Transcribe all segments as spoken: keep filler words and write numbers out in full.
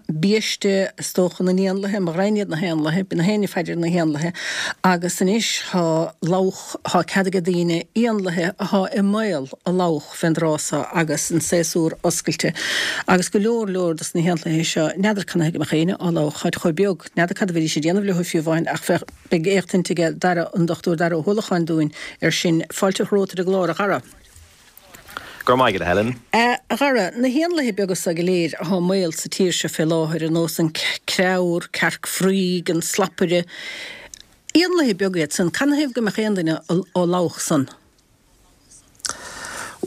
Biaiste is dócha na n-éanlaithe, mo ghraidhin iad na héanlaithe, bíonn gach éinne ag faire ar na héanlaithe agus anois thá lobhadh, thá cead ag daoine éanlaithe athá i mbaol a lobhadh fén dtráth so agus an séasúr oscailte agus go leor leor dos na héanlaithe seo, n'fheadar canathaobh go mbeadh éinne á lobhadh, tháid chomh beag, n'fheadar cad a bheidís ag déanamh leo fiú amháin ach bheadh, beidh éachtaint aige Dara, an Dochtúir Dara Ó hUallacháin dúinn ar sin. Fáilte romhat ar an gclár, a Dhara. Go raibh maith agat, a Helen. A Dhara, na héanlaithe beaga so go léir athá i mbaol sa tír seo fé láthair, ar nós an creabhar, cearc fraoigh, an slapaire, éanlaithe beaga iad san, canathaobh go mbeadh aon duine á lobhadh san?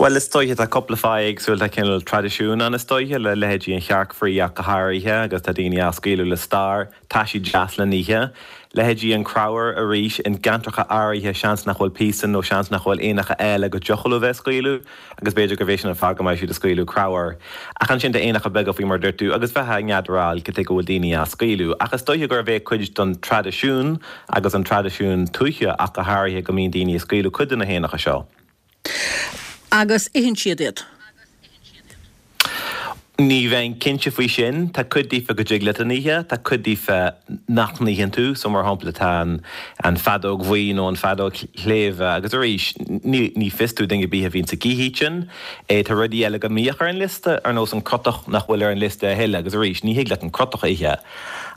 Bhuel, is dóiche, tá cúpla fáth éagsúil, tá cineál traidisiún ann is dóiche, le leithéidí an chearc fraoigh ach go háirithe, agus tá daoine á scaoileadh le stair, tá siad deas le n-ithe. Leithéidí an creabhair arís, in gceantracha áirithe seans nach bhfuil píosain nó seans nach bhfuil éanacha eile go dtiocfadh leo bheith ag scaoileadh agus b'fhéidir gurb é sin an fáth go mbeidh siad ag scaoileadh creabhair. Ach ansin tá éanacha beaga faoi mar a dúirt tú agus bheifeá n'fheadar cad chuige go bhfuil daoine á scaoileadh. Ach is dóiche gurb é cuid den traidisiún agus an traidisiún tuaithe ach go háirithe go mbíonn daoine ag scaoileadh cuid de na héanacha seo. Agus itheann siad iad. Ní bheinn cinnte faoi sin. Tá cuid díofa go dtig leat a n-ithe, tá cuid díofa nach n-itheann tú. So mar shampla tá an an feadóg bhuí nó an feadóg shléibhe agus arís ní ní fios do dhuine ar bith a bhíonns ag ithe iad sin. Tá rudaí eile go mbíodh ar an liosta ar nós an crotach nach bhfuil ar an liosta a thuilleadh agus arís ní thig leat an crotach a ithe.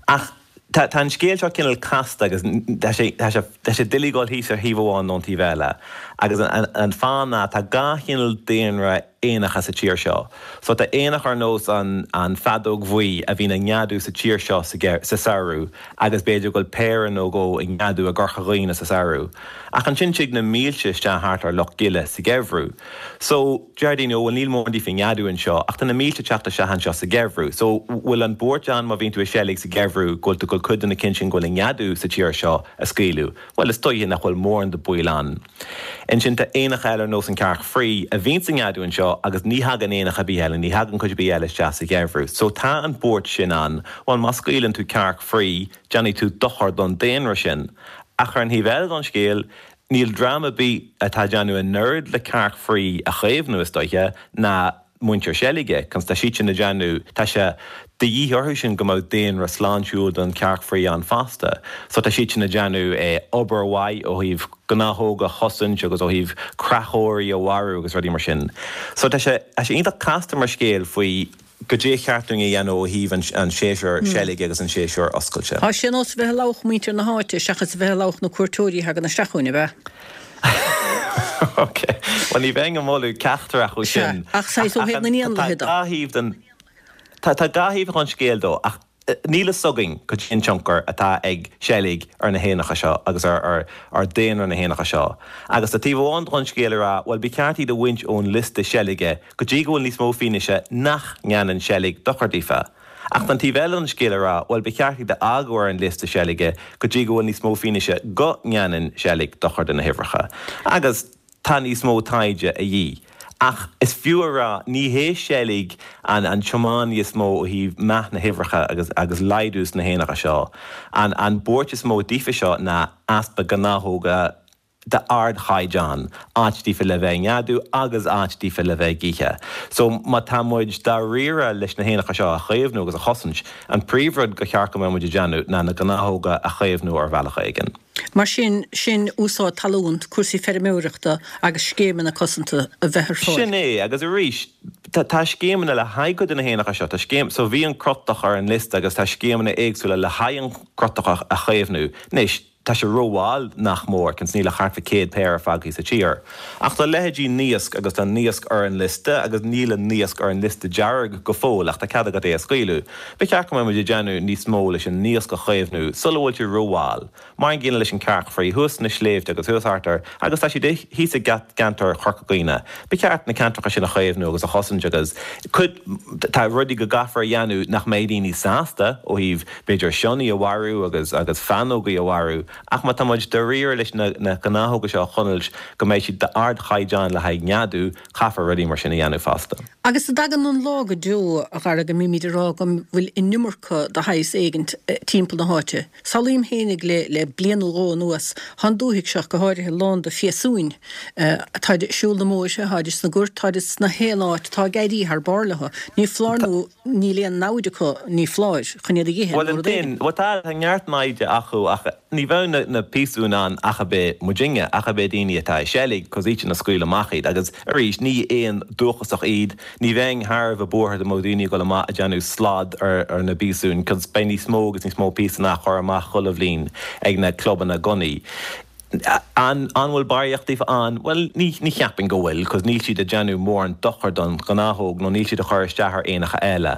Ach tá tá an scéal seo cineál casta agus tá sé tá sé tá sé doiligh dul thíos ar thaobh amháin nó an taobh eile. Agus an an fáth ná tá dhá chineál daonra éanacha sa tír seo. So tá éanach ar nós an an feadóg bhuí a bhíonn ag neadú sa tír seo sa sa samhradh agus b'fhéidir go bhfuil péire nó dhó ag neadú i gCorca Dhuibhne sa samhradh. Ach ansin tig na mílte isteach thart ar Loch Gile sa gheimhreadh. So deir daoine ó bhuel níl mórán díofa ag neadú anseo ach tá na mílte ag teacht isteach anseo sa gheimhreadh. So bhfuil an buairt ann má bhíonn tú ag seilg sa gheimhreadh go bhfuil tú ag dul cuid de na cinn sin go bhfuil ag neadú sa tír seo a scaoileadh? Bhuel is dóiche nach bhfuil mórán de baol ann. Ansin tá éanacha eile ar nós an cearc fraoigh a bhíonns ag neadú anseo agus ní thagann éanacha ar bith eile, ní thagann cuid ar bith eile isteach sa gheimhreadh. So tá an buairt sin ann. Bhuel má scaoileann tú cearc fraoigh, déanfaidh tú dochar don daonra sin. Ach ar an thaobh eile don scéal, níl dream ar bith atá ag déanamh an oiread le cearc fraoigh a chaomhnú is dóiche ná muintir seilge, cos tá siad sin ag déanamh, tá sé de dhíth orthu sin go mbeadh daonra sláintiúil don chearc fraoigh ann fosta. So tá siad sin ag déanamh obair mhaith ó thaobh gnáthóga a chosaint agus ó thaobh creachóirí a mharú agus rudaí mar sin. So tá sé, tá sé iontach casta mar scéal faoi goidé ba cheart dúinn a dhéanamh ó thaobh an séasúr seilge agus an séasúr oscailte. Tá sé ar nós a bheith ag lobhadh muintir na háite seachas a bheith ag lobhadh na cuairteoirí a thagann isteach chugainn, ab ea? Ok. Bhuel, ní bheinn ag moladh ceachtar acu sin. Ach saghas ó thaobh na n-éanlaithe de. Tá dhá thaobh den, tá dhá thaobh den scéal dó, ach níl fhios againn cad é an tionchar atá ag seilg ar na héanacha seo agus ar ar daonra na héanacha seo. Agus tá taobh amháin den scéal ag rá, bhuel, ba cheart iad a bhaint ón liosta seilge go dtí go bhfuil níos mó fianaise nach ndéanann seilg dochar daofa. Ach tá an taobh eile den scéal ag rá, bhuel, ba cheart iad a fhágáil ar an liosta seilge go dtí go bhfuil níos mó fianaise go ndéanann seilg dochar do na huimhreacha. Agus tá níos mó taighde a dhíth. Ach is fiú a rá, ní hé seilg an an tiománaí is mó ó thaobh meath na huimhreacha agus agus laghdú sna héanacha seo. An an buairt is mó daofa seo ná easpa gnáthóga d'ardchaighdeán, áit daofa le bheith ag neadú agus áit daofa le bheith ag ithe. So má tá muid dáiríre leis na héanacha seo a chaomhnú agus a chosaint, an príomhrud go cheart go mbeadh muid ag déanamh ná na gnáthóga a chaomhnú ar bhealach éigin. Mar sin, sin úsáid talún, cúrsaí feirmeoireachta agus scéimeanna cosanta a bheith ar fáil. Sin é, agus arís, tá scéimeanna le haghaidh cuid de na héanacha seo, tá scéim, so bhí an crotach ar an liosta agus tá scéimeanna éagsúla le haghaidh an crotach a chaomhnú. Anois, tá sé rómhall nach mór, cos níl ach thart fá céad péire fágtha sa tír. Ach tá leithéidí naosc agus tá naosc ar an liosta agus níl an naosc ar an liosta dearg go fóill ach tá cead agat é a scaoileadh. Ba cheart go mbeadh muid ag déanamh níos mó leis an naosc a chaomhnú sula bhfuil sé rómhall. Mar an gcéanna leis an cearc fraoigh thuas sna sléibhte agus thuas thart ar, agus tá siad thíos i gceantar Chorca Dhuibhne. Ba cheart na ceantracha sin a chaomhnú agus a chosaint agus cuid, tá rudaí go gcaithfear a dhéanamh nach mbeidh daoine sásta ó thaobh b'fhéidir sionnaigh a mharú agus agus fánógaí a mharú Ach má tá muid dáiríre leis na na gnáthóga seo a choinneáil go mbeidh siad d'ardchaighdeán le haghaidh neadú, caithfear rudaí mar sin a dhéanamh fosta. Agus an dtagann an lá go deo, a Dhara, go mbímid ag rá go bhfuil an iomarca de shaghas éigint timpeall na háite. Samhlaím fhéinig le le bliain nó dhó anuas, thá an dúthaigh seo, go háirithe, lán de phíosúin. Táid ag siúl na mbóithre, tháid sna goirt, táid sna haon áit, tá ag éirí thar barr leo. Ní foláir nó níl aon namhaid acu, ní foláir, chun iad a dh'ithe nó rud Bhuel, éigin. bhuel tá, tá neart naimhde acu ach ní bheadh na na piasúin ann ach ab é muidinne, ach ab é daoine atá ag seilg, cos iadsan a scaoil amach iad agus arís ní éin dúchasach iad, ní bheinn thar a bheith buartha dá mbeadh daoine ag dul amach ag déanamh slad ar ar na bpiasúin cos beidh níos mó agus níos mó piasún á chur amach chuile bhliain ag na clubanna gunnaí. An an bhfuil barraíocht díobh ann? Bhuel, ní ní cheapfainn go bhfuil, cos níl siad ag déanamh mórán dochar don ghnáthóg nó níl siad ag cur isteach ar éanacha eile.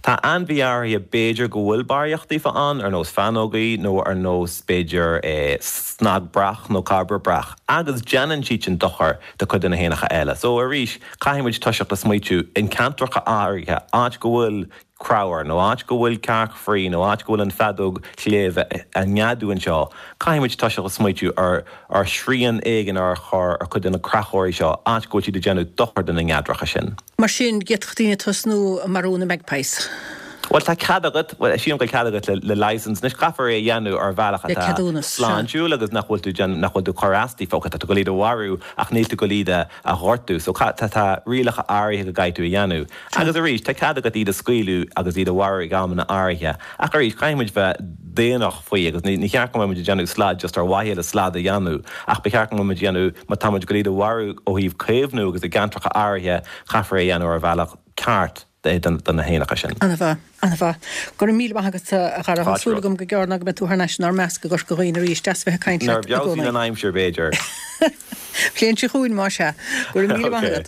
Tá ainmhithe áirithe b'fhéidir go bhfuil barraíocht díobh ann, ar nós fáinleogaí nó ar nós b'fhéidir snag breac nó cairbre breac, agus déanann siad sin dochar do cuid de na héanacha eile. So arís, caithfidh muid toiseacht a smaoitiú in ceantracha áirithe, áit go bhfuil creabhar, nó áit go bhfuil cearc fraoigh, nó áit go bhfuil an feadóg shléibhe ag neadú anseo, caithfidh muid toiseacht a smaoitiú ar ar shrian éigin a chur ar chuid de na creachóirí seo, áit go bhfuil siad ag déanamh dochar do na neadracha sin. Mar sin, d'fhéadfadh daoine tosnú ag marú na magpies. Bhuel, tá cead agat, bhuel, sílim go bhfuil cead agat le le license. Anois, caithfear é a dhéanamh ar bhealach Le atá ceadúnas, sea. sláintiúil agus nach bhfuil tú déanamh, nach bhfuil tú cur as daofa. Ok, tá tú ag dul iad a mharú ach níl tú ag dul iad a a ghortú. So, tá tá rialacha áirithe go gcaithfidh tú a dhéanamh. Agus arís, tá cead agat iad a scaoileadh agus iad a mharú ag amanna áirithe. Ach arís, caithfidh muid bheith daonnach faoi agus ní cheart go mbeidh muid ag déanamh slad just ar mhaithe le slad a dhéanamh ach ba cheart go mbeidh muid ag déanamh, má tá muid ag dul iad a mharú ó thaobh caomhnú agus i gceantracha áirithe, caithfear é a dhéanamh ar bhealach ceart do na héanacha sin. Ana-mhaith, ana-mhaith. Go raibh míle maith agat, a Dhara. Tá súil agam go gearr ná go mbeidh tú thar n-ais inár measc i gCorca Dhuibhne arís. Deas bheith ag caint Nuair leat a i bhfeabhsaíonn gcónaí. an aimsir, b'fhéidir. Bliain seo chugainn, más ea. Go raibh míle maith agat.